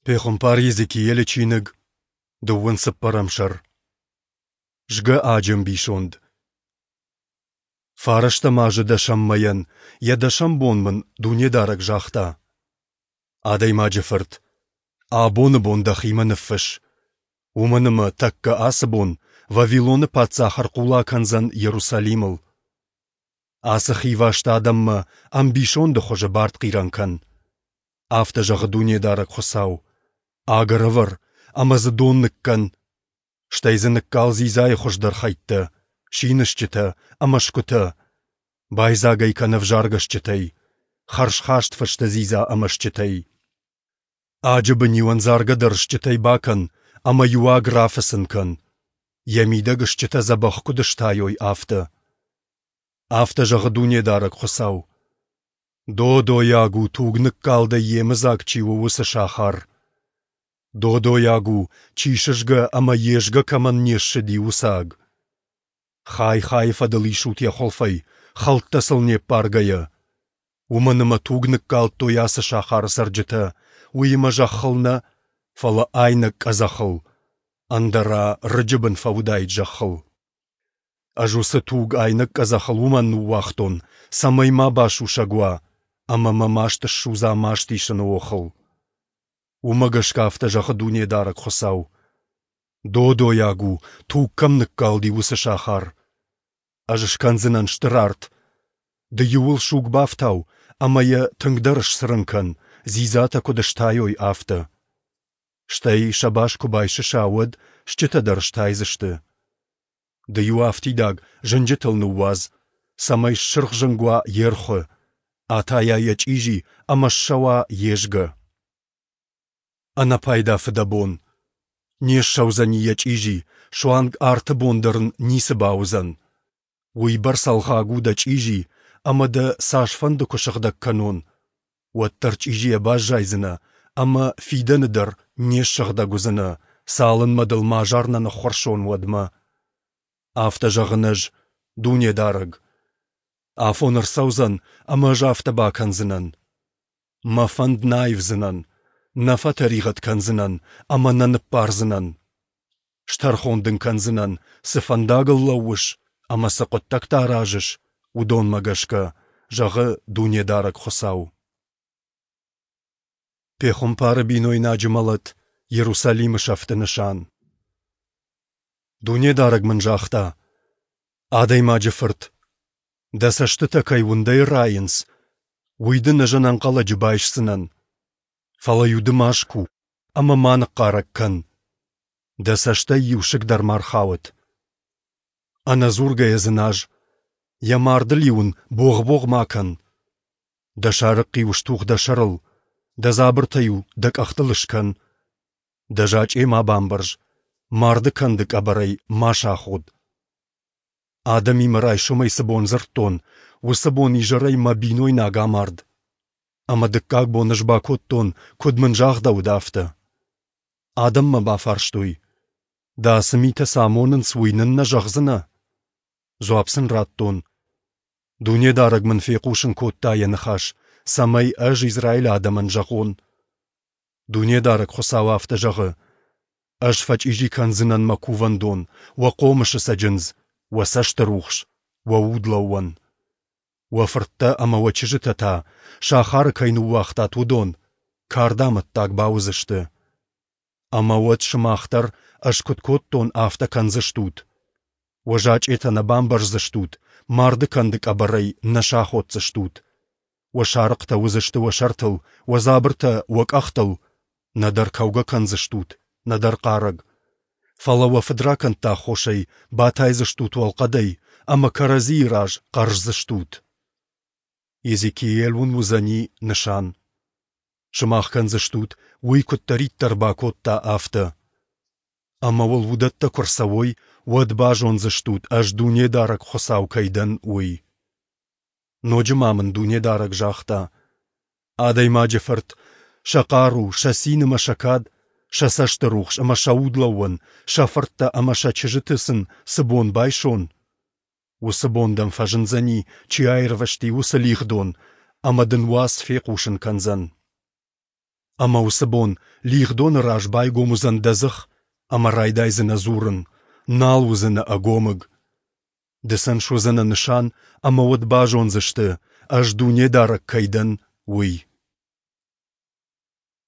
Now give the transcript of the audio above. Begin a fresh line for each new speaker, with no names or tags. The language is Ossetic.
Пехуымпар Йезекиелы чиныг, дыууын цыппӕрӕм сӕр. Згӕ аджы ӕмбисонд. Фарӕстӕм азы дӕсӕм мӕйӕн йӕ дӕсӕм бон мын Дунедарӕг загъта: Адӕймаджы фырт, абоны бон дӕхимӕ ныффысс, уымӕн ӕмӕ тӕккӕ ацы бон Вавилоны паддзах ӕрхъула кӕндзӕн Иерусалимыл. Ацы хиваст адӕммӕ ӕмбисонды хуызы бартхъирӕн кӕн. Афтӕ зӕгъы Дунедарӕг Хуыцау: Аг ӕрӕвӕр ӕмӕ дзы дон ныккӕн, стӕй дзы ныккал дзидзайы хуыздӕр хӕйттӕ, синысджытӕ ӕмӕ сгуытӕ, байдзаг ӕй кӕн ӕвзаргӕ стджытӕй, хӕрзхаст фысты дзидза ӕмӕ стджытӕй. Аджы бын-иу ӕндзаргӕ дӕр стджытӕй бакӕн ӕмӕ-иу аг рафыцын кӕн, йӕ мидӕг стджытӕ дзӕбӕх куыд стайой, афтӕ. Афтӕ зӕгъы Дунедарӕг Хуыцау: Додойаг у, туг ныккалдӕй йемыдзаг чи у, уыцы сахар. Додойаг у, чи сызгӕ ӕмӕ йе згӕ кӕмӕн не ссыди, уыцы аг. Хай хайы фӕдыл исут йӕ хуылфӕй, хӕлттӕ сыл не ппаргӕйӕ. Уымӕн ӕмӕ туг ныккалдтой ацы сахары цӕрджытӕ, уыимӕ зӕххыл нӕ, фӕлӕ айнӕг къӕдзӕхыл, ӕндӕра рыджы бын фӕуыдаид зӕххыл. Ӕз уыцы туг айнӕг къӕдзӕхыл уымӕн ныууагътон, цӕмӕй ма басусӕг уа ӕмӕ мӕ маст ссудза маст исыны охыл. Уымӕ гӕсгӕ афтӕ зӕгъы Дунедарӕг Хуыцау: Додойаг у, туг кӕм ныккалди, уыцы сахар. Ӕз скӕндзынӕн стыр арт. Ды иуыл суг бафтау ӕмӕ йӕ тынгдӕр сцырын кӕн, дзидзатӕ куыд стайой, афтӕ. Стӕй сӕ бас куы байсыса, уӕд стджытӕ дӕр стайдзысты. Ды-иу афтидаг зынджытыл ныууадз, цӕмӕй ссырхзынг уа йе рхуы, атайа йӕ чъизи ӕмӕ ссӕуа йе згӕ. Ӕнӕпайда фыдӕбон. Не ссӕудзӕни йӕ чъизи, суанг арты бон дӕр ын ницы бауыдзӕн. Уыйбӕрц ӕлгъаг у дӕ чъизи, ӕмӕ дӕ цасфӕнды куы сыгъдӕг кӕнон, уӕддӕр чъизийӕ баззайдзынӕ ӕмӕ фидӕны дӕр не ссыгъдӕг уыдзынӕ, цалынмӕ дыл мӕ азар нӕ ныххуырсон, уӕдмӕ. Афтӕ зӕгъын ӕз, Дунедарӕг. Афон ӕрцӕудзӕн, ӕмӕ ӕз афтӕ бакӕндзынӕн. Мӕ фӕнд нӕ аивдзынӕн, нӕ фӕтӕригъӕд кӕндзынӕн ӕмӕ нӕ ныббардзынӕн. Стӕрхон дын кӕндзынӕн, цы фӕндагыл лӕууыс ӕмӕ цы хъуыддӕгтӕ аразыс, уыдонмӕ гӕсгӕ, зӕгъы Дунедарӕг Хуыцау. Пехуымпары бинойнаджы мӕлӕт Иерусалимы сӕфты нысан. Дунедарӕг мын загъта: Адӕймаджы фырт, дӕ цӕстытӕ кӕй уындӕй райынц, уый дын ӕз ӕнӕнхъӕлӕджы байсдзынӕн. Фӕлӕ-иу ды ма ску ӕмӕ ма ныхъхъарӕг кӕн. Дӕ цӕстӕй иу сыг дӕр ма рхауӕд. Ӕнӕдзургӕйӕ дзыназ, йӕ мардыл-иу ын богъ-богъ ма кӕн. Дӕ сарыхъхъ-иу стух дӕ сӕрыл, дӕ дзабыртӕ-иу дӕ къӕхтыл скӕн. Дӕ зачъе ма бамбӕрз, марды кӕнды къӕбӕрӕй ма саход. Адӕмимӕ райсомӕй цы бон дзырдтон, уыцы бон изӕрӕй мӕ бинойнаг амард. Ӕмӕ дыккаг бон ӕз бакодтон, куыд мын загъдӕуыд, афтӕ. Адӕм мӕ бафарстой: Дӕ ацы митӕ цы амонынц, уый нын нӕ зӕгъдзынӕ? Дзуапп сын радтон: Дунедарӕг мын фехъусын кодта йӕ ныхас, цӕмӕй ӕз Израилы адӕмӕн зӕгъон. Дунедарӕг Хуыцау афтӕ зӕгъы: Ӕз фӕчъизи кӕндзынӕн мӕ кувӕндон, уӕ хъомысы цӕджындз, уӕ цӕсты рухс, уӕ удлӕууӕн. Уӕ фырттӕ ӕмӕ уӕ чызджытӕ та, сахары кӕй ныууагътат, уыдон, кардамӕттаг бауыдзысты. Ӕмӕ уӕд сымах дӕр, ӕз куыд кодтон, афтӕ кӕндзыстут. Уӕ зачъетӕ нӕ бамбӕрздзыстут, марды кӕнды къӕбӕрӕй нӕ саходдзыстут. Уӕ сарыхътӕ уыдзысты уӕ сӕртыл, уӕ дзабыртӕ уӕ къӕхтыл, нӕдӕр кӕугӕ кӕндзыстут, нӕдӕр хъарӕг. Фӕлӕ уӕ фыдракӕндты аххосӕй батайдзыстут уӕлхъӕдӕй ӕмӕ кӕрӕдзийы раз хъӕрздзыстут. Езекиель уын уыдзӕни нысан. Сымах кӕндзыстут, уый куыддӕриддӕр бакодта, афтӕ. Ӕмӕ уыл уыдӕттӕ куы рцӕуой, уӕд базондзыстут, ӕз Дунедарӕг Хуыцау кӕй дӕн, уый. Ноджы ма мын Дунедарӕг загъта: Адӕймаджы фырт, сӕ хъару, сӕ цин ӕмӕ сӕ кад, сӕ цӕсты рухс ӕмӕ сӕ удлӕууӕн, сӕ фырттӕ ӕмӕ сӕ чызджыты сын цы бон байсон, уыцы бон дӕм фӕзындзӕни, чи аирвӕзти, уыцы лигъдон, ӕмӕ дын уац фехъусын кӕндзӕн. Ӕмӕ уыцы бон лигъдоны раз байгом уыдзӕн дӕ дзых ӕмӕ райдайдзынӕ дзурын, нал уыдзынӕ ӕгомыг. Ды сын суыдзынӕ нысан, ӕмӕ уӕд базондзысты, Ӕз Дунедарӕг кӕй дӕн, уый.